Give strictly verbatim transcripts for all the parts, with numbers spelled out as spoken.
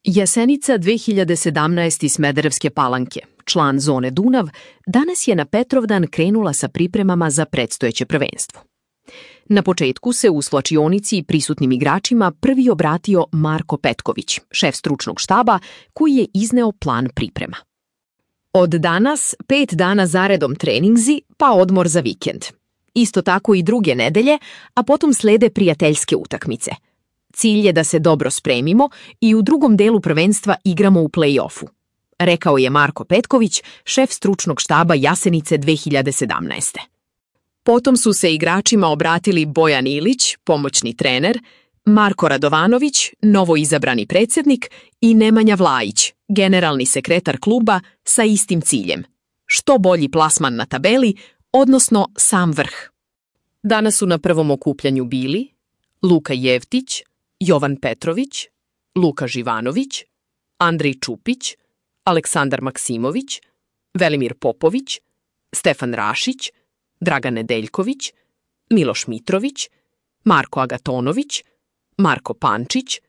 Jasenica dve hiljade sedamnaeste iz Smederevske Palanke, član zone Dunav, danas je na Petrovdan krenula sa pripremama za predstojeće prvenstvo. Na početku se u svlačionici prisutnim igračima prvi obratio Marko Petković, šef stručnog štaba, koji je izneo plan priprema. Od danas pet dana zaredom treningsi, pa odmor za vikend. Isto tako i druge nedelje, a potom slede prijateljske utakmice. Cilj je da se dobro spremimo i u drugom delu prvenstva igramo u play-offu, rekao je Marko Petković, šef stručnog štaba Jasenice dve hiljade sedamnaeste. Potom su se igračima obratili Bojan Ilić, pomoćni trener, Marko Radovanović, novoizabrani predsjednik i Nemanja Vlajić, generalni sekretar kluba sa istim ciljem. Što bolji plasman na tabeli, odnosno sam vrh. Danas su na prvom okupljanju bili Luka Jevtić, Jovan Petrović, Luka Živanović, Andrej Čupić, Aleksandar Maksimović, Velimir Popović, Stefan Rašić, Dragan Nedeljković, Miloš Mitrović, Marko Agatonović, Marko Pančić,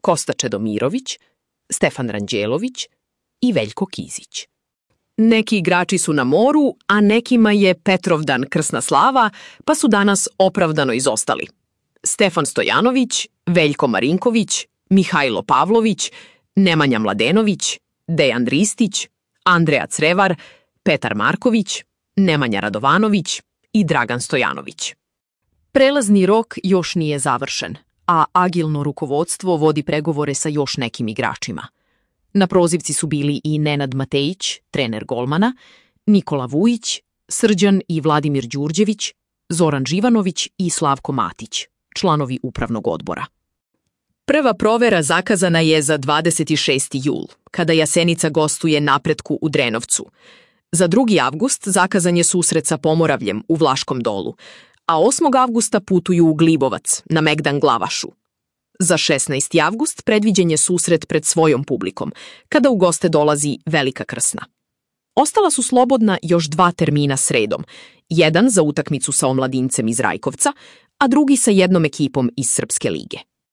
Kosta Čedomirović, Stefan Ranđelović i Veljko Kizić. Neki igrači su na moru, a nekima je Petrovdan krsna slava, pa su danas opravdano izostali. Stefan Stojanović, Veljko Marinković, Mihajlo Pavlović, Nemanja Mladenović, Dejan Ristić, Andreja Crevar, Petar Marković, Nemanja Radovanović i Dragan Stojanović. Prelazni rok još nije završen, a agilno rukovodstvo vodi pregovore sa još nekim igračima. Na prozivci su bili i Nenad Matejić, trener golmana, Nikola Vujić, Srđan i Vladimir Đurđević, Zoran Živanović i Slavko Matić, članovi upravnog odbora. Prva provera zakazana je za dvadeset šesti jul, kada Jasenica gostuje Napretku u Drenovcu. Za drugi avgust zakazan je susret sa Pomoravljem u Vlaškom Dolu, a osmog avgusta putuju u Glibovac na Megdan Glavašu. Za šesnaesti avgust predviđen je susret pred svojom publikom, kada u goste dolazi Velika Krsna. Ostala su slobodna još dva termina sredom, jedan za utakmicu sa omladincem iz Rajkovca, a drugi sa jednom ekipom iz Srpske lige.